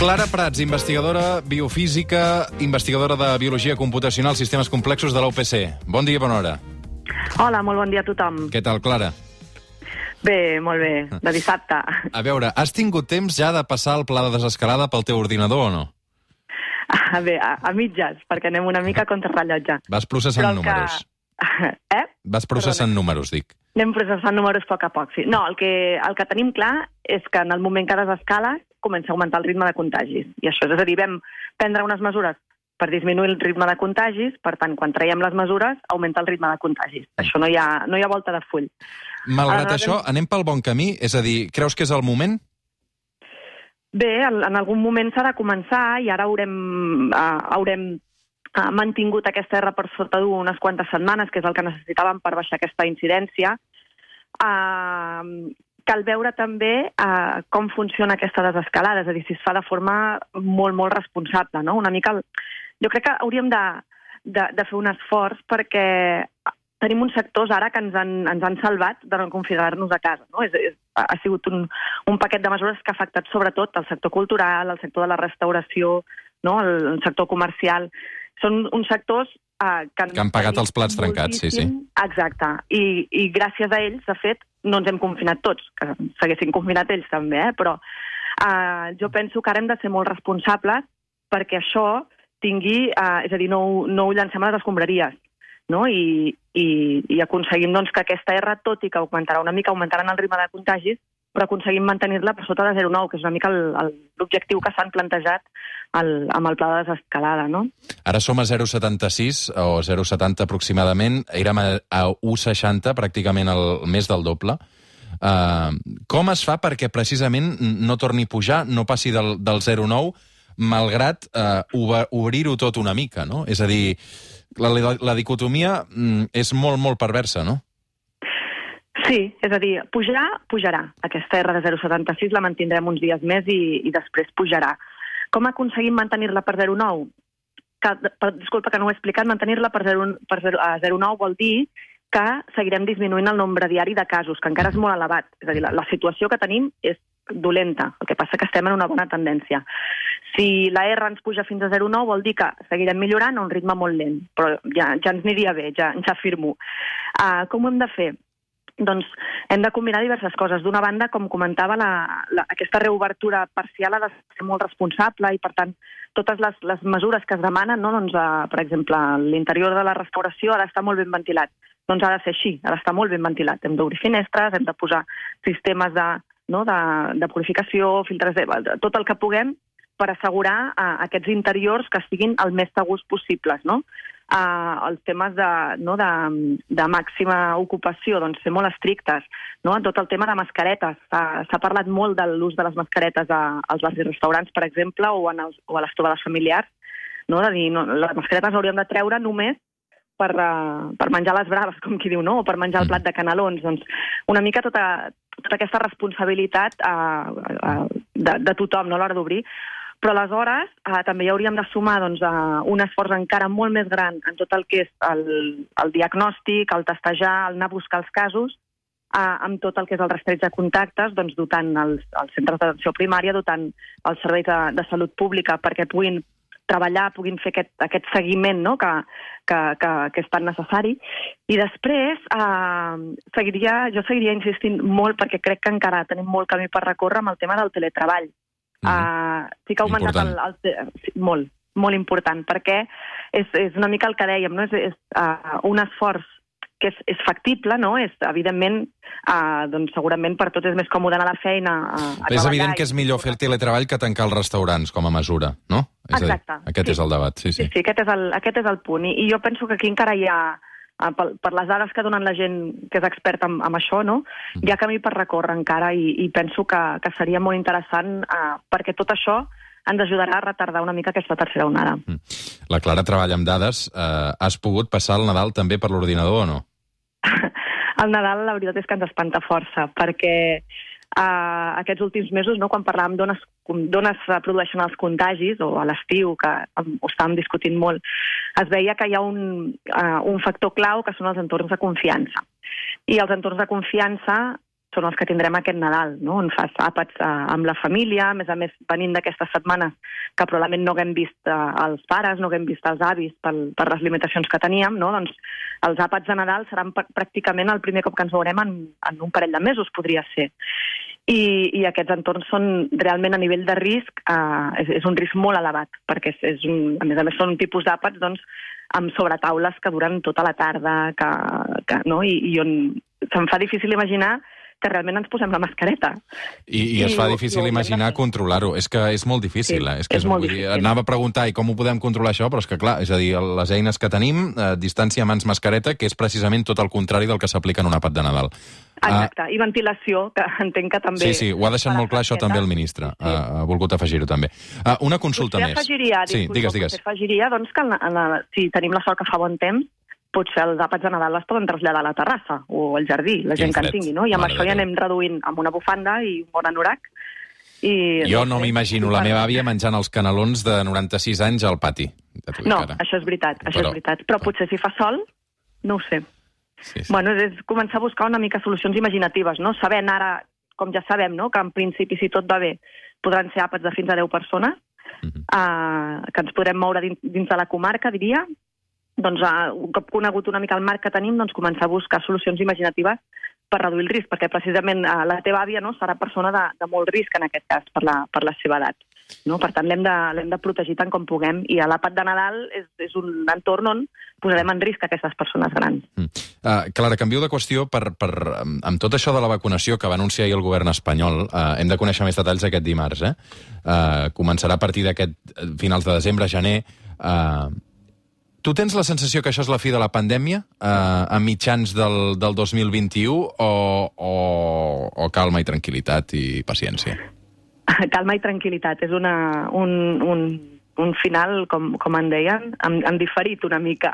Clara Prats, investigadora biofísica, investigadora de biologia computacional, sistemes complexos de la UPC. Bon dia, bona hora. Hola, molt bon dia a tothom. Què tal, Clara? Bé, molt bé, de dissabte. A veure, has tingut temps ja de passar el pla de desescalada pel teu ordinador o no? Bé, a mitges, perquè anem una mica contra rellotge. Vas processant números. Vas processant números, dic. Anem processant números a poc, sí. No, el que tenim clar és que en el moment que desescales comença a augmentar el ritme de contagis. I això és a dir, vam prendre unes mesures per disminuir el ritme de contagis, per tant, quan traiem les mesures, augmenta el ritme de contagis. Això no hi ha volta de full. Malgrat això, anem pel bon camí? És a dir, creus que és el moment? Bé, en algun moment s'ha de començar i ara haurem mantingut aquesta R per sota d'1 unes quantes setmanes, que és el que necessitàvem per baixar aquesta incidència. Cal veure també com funciona aquesta desescalada, és a dir, si es fa de forma molt, molt responsable, no? Una mica, jo crec que hauríem de fer un esforç perquè tenim uns sectors ara que ens han salvat de no confinar-nos a casa, no? Ha sigut un paquet de mesures que ha afectat sobretot el sector cultural, el sector de la restauració, no? El sector comercial. Són uns sectors que han pagat els plats trencats, sí. Exacte. I gràcies a ells, de fet, no ens hem confinat tots, que s'haguessin confinat ells també, però jo penso que ara hem de ser molt responsables perquè això tingui, és a dir, no ho llancem a les escombraries, no? I aconseguim doncs, que aquesta R, tot i que augmentarà una mica, augmentaran el ritme de contagis, però aconseguim mantenir-la per sota de 0,9, que és una mica l'objectiu que s'han plantejat amb el pla de desescalada, no? Ara som a 0,76 o 0,70 aproximadament, érem a 1,60, pràcticament més del doble. Com es fa perquè precisament no torni a pujar, no passi del 0,9, malgrat obrir-ho tot una mica, no? És a dir, la dicotomia és molt, molt perversa, no? Sí, és a dir, pujarà. Aquesta R de 0,76 la mantindrem uns dies més i després pujarà. Com aconseguim mantenir-la per 0,9? Disculpa que no ho he explicat, mantenir-la per 0,9 vol dir que seguirem disminuint el nombre diari de casos, que encara és molt elevat. És a dir, la situació que tenim és dolenta, el que passa que estem en una bona tendència. Si la R ens puja fins a 0,9 vol dir que seguirem millorant a un ritme molt lent, però ja ens aniria bé, ja afirmo. Com ho hem de fer? Doncs hem de combinar diverses coses. D'una banda, com comentava, aquesta reobertura parcial ha de ser molt responsable i, per tant, totes les mesures que es demanen, no? Doncs, per exemple, l'interior de la restauració ha d'estar molt ben ventilat. Doncs ha de ser així, ha d'estar molt ben ventilat. Hem d'obrir finestres, hem de posar sistemes de purificació, filtres tot el que puguem per assegurar aquests interiors que estiguin el més segurs possibles, no? Els temes de màxima ocupació, doncs ser molt estrictes, no? Tot el tema de mascaretes. S'ha parlat molt de l'ús de les mascaretes als bars i restaurants, per exemple, o a les trobades familiars, no? De dir, les mascaretes hauríem de treure només per menjar les braves, com qui diu, no? O per menjar el plat de canelons. Doncs una mica tota aquesta responsabilitat de tothom, no? A l'hora d'obrir. Però aleshores també hi hauríem de sumar un esforç encara molt més gran en tot el que és el diagnòstic, el testejar, el anar a buscar els casos, amb tot el que és el rastreig de contactes, doncs dotant els centres d'atenció primària, dotant els serveis de salut pública perquè puguin treballar, puguin fer aquest seguiment, no? que és tan necessari. I després jo seguiria insistint molt perquè crec que encara tenim molt camí per recórrer amb el tema del teletreball. Sí que ha augmentat molt, molt important, perquè és una mica el que dèiem, no? És un esforç que és factible, no? Evidentment, doncs segurament per tots és més còmode anar a la feina a treballar. És evident que és millor fer el teletreball que tancar els restaurants com a mesura, no? Exacte. Aquest és el debat, sí. Sí, aquest és el punt. I jo penso que aquí encara hi ha, per les dades que donen la gent que és experta en això, no? Hi ha camí per recórrer encara i penso que seria molt interessant perquè tot això ens ajudarà a retardar una mica aquesta tercera onada. La Clara treballa amb dades. Has pogut passar el Nadal també per l'ordinador o no? El Nadal, la veritat és que ens espanta força, perquè aquests últims mesos, no, quan parlàvem d'on es produeixen els contagis, o a l'estiu, que ho estàvem discutint molt, es veia que hi ha un factor clau que són els entorns de confiança. I els entorns de confiança són els que tindrem aquest Nadal, no? On fas àpats amb la família, a més, venint d'aquestes setmanes que probablement no haguem vist els pares, no haguem vist els avis per les limitacions que teníem, no? Doncs els àpats de Nadal seran pràcticament el primer cop que ens veurem en un parell de mesos, podria ser. I aquests entorns són realment a nivell de risc, és un risc molt elevat, perquè a més són un tipus d'àpats doncs, amb sobretaules que duren tota la tarda, no? I on se'm fa difícil imaginar que realment ens posem la mascareta. I es fa difícil imaginar controlar-ho. És que és molt difícil. Sí, és molt difícil. Anava a preguntar com ho podem controlar això, però és que clar, és a dir, les eines que tenim, distància mans-mascareta, que és precisament tot el contrari del que s'aplica en un àpat de Nadal. Exacte, i ventilació, que entenc que també... Sí, ho ha deixat molt clar això també el ministre. Ha volgut afegir-ho també. Una consulta més. Potser afegiria doncs, que si tenim la sort que fa bon temps, potser els àpats de Nadal es poden traslladar a la terrassa o al jardí, la gent que en tingui, no? I amb això ja anem reduint amb una bufanda i un bon anorac. Jo no m'imagino la meva àvia menjant els canelons de 96 anys al pati. No, això és veritat, Però potser si fa sol, no ho sé. Sí. Bueno, és començar a buscar una mica solucions imaginatives, no? Sabent ara, com ja sabem, no? Que en principi, si tot va bé, podran ser àpats de fins a 10 persones, que ens podrem moure dins de la comarca, diria. Doncs, un cop conegut una mica el marc que tenim, doncs començar a buscar solucions imaginatives per reduir el risc, perquè precisament la teva àvia no, serà persona de molt risc en aquest cas per la seva edat. No? Per tant, l'hem de protegir tant com puguem, i l'àpat de Nadal és un entorn on posarem en risc aquestes persones grans. Clara, canvio de qüestió amb tot això de la vacunació que va anunciar ahir el govern espanyol. Hem de conèixer més detalls aquest dimarts. Començarà a partir d'aquest finals de desembre, gener. Tu tens la sensació que això és la fi de la pandèmia a mitjans del 2021 o calma i tranquil·litat i paciència? Calma i tranquil·litat. És un final, com en deien, en diferit una mica.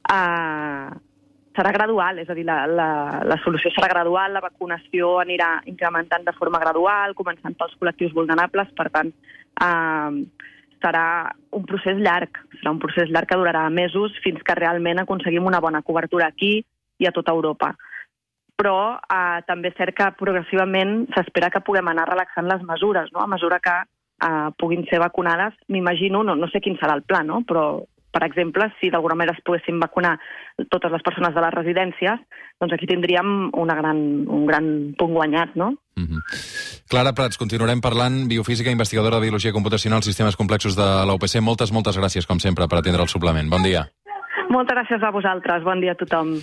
Serà gradual, és a dir, la solució serà gradual, la vacunació anirà incrementant de forma gradual, començant pels col·lectius vulnerables, per tant, serà un procés llarg. Serà un procés llarg que durarà mesos fins que realment aconseguim una bona cobertura aquí i a tota Europa. Però també és cert que progressivament s'espera que puguem anar relaxant les mesures, no? A mesura que puguin ser vacunades, m'imagino, no sé quin serà el pla, no? Però, per exemple, si d'alguna manera es poguessin vacunar totes les persones de les residències, doncs aquí tindríem un gran punt guanyat, no? Clara Prats, continuarem parlant, biofísica, investigadora de biologia computacional, sistemes complexos de la UPC. Moltes gràcies, com sempre, per atendre el suplement. Bon dia. Moltes gràcies a vosaltres. Bon dia a tothom.